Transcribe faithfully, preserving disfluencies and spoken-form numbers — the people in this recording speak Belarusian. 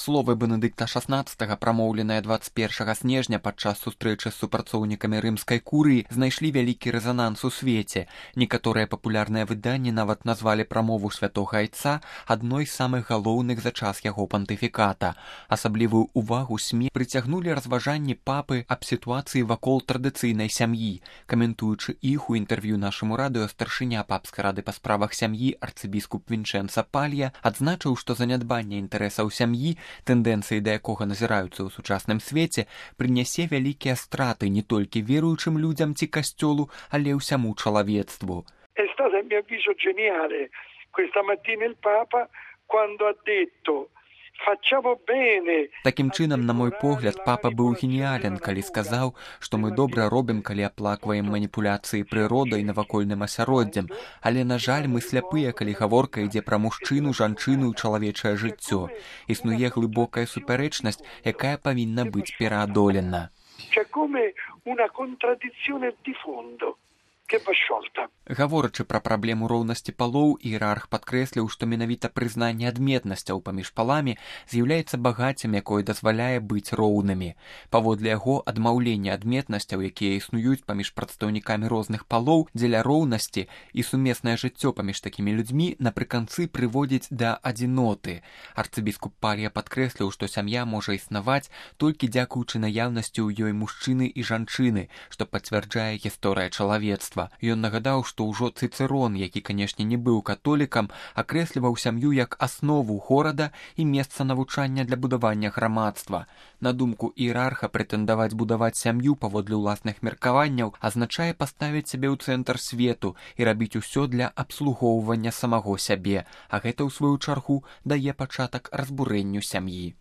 Словы Бенедыкта шаснаццатага, прамоўленыя дваццаць першага снежня падчас сустрэчы з супрацоўнікамі рымскай курыі, знайшлі вялікі рэзананс у свеце. Некаторыя папулярныя выданні нават назвалі прамову святога айца адной з самых галоўных за час яго пантыфіката. Асаблівую ўвагу СМІ прыцягнулі разважанні папы аб сітуацыі вакол традыцыйнай сям'і. Каментуючы іх у інтэрв'ю нашаму радыё, старшыня папскай рады па справах сям'і арцыбіскуп Вінчэнца Палья адзначыў, што занядбанне інтарэсаў сям'і, тэндэнцыі да якога назіраюцца ў сучасным свеце, прынясе вялікія страты не толькі веруючым людзям ці касцёлу, але ўсяму чалавецтву. È stato a mio avviso geniale questa mattina il Papa quando ha detto facciamo bene. Такім чынам, на мой погляд, папа быў геніален, калі сказаў, што мы добра робім, калі аплакваем маніпуляцыі прыродай навакольным асяроддзем, але, на жаль, мы сляпыя, калі гаворка ідзе пра мужчыну, жанчыну і чалавечае жыццё. Існуе глыбокая супярэчнасць, якая павінна быць пераадолена. C'è come una contraddizione di fondo che va sciolta. Гаворачы пра праблему роўнасці палоў, іерарх падкрэсліў, што менавіта прызнанне адметнасцяў паміж паламі з'яўляецца багаццем, якое дазваляе быць роўнымі. Паводле яго, адмаўленне адметнасцяў, якія існуюць паміж прадстаўнікамі розных палоў дзеля роўнасці і сумеснае жыццё паміж такімі людзьмі напрыканцы прыводзіць да адзіноты. Арцыбіскуп Палья падкрэсліў, што сям'я можа існаваць толькі дзякуючы наяўнасці ў ёй мужчыны і жанчыны, што пацвярджае гісторыя чалавецтва. Ён нагадаў, што ўжо Цыцэрон, які, канешне, не быў католікам, акрэсліваў сям'ю як аснову горада і месца навучання для будавання грамадства. На думку іерарха, прэтэндаваць будаваць сям'ю паводле ўласных меркаванняў азначае паставіць сябе ў цэнтр свету і рабіць усё для абслугоўвання самаго сябе, а гэта, ў сваю чаргу, дае пачатак разбурэнню сям'і.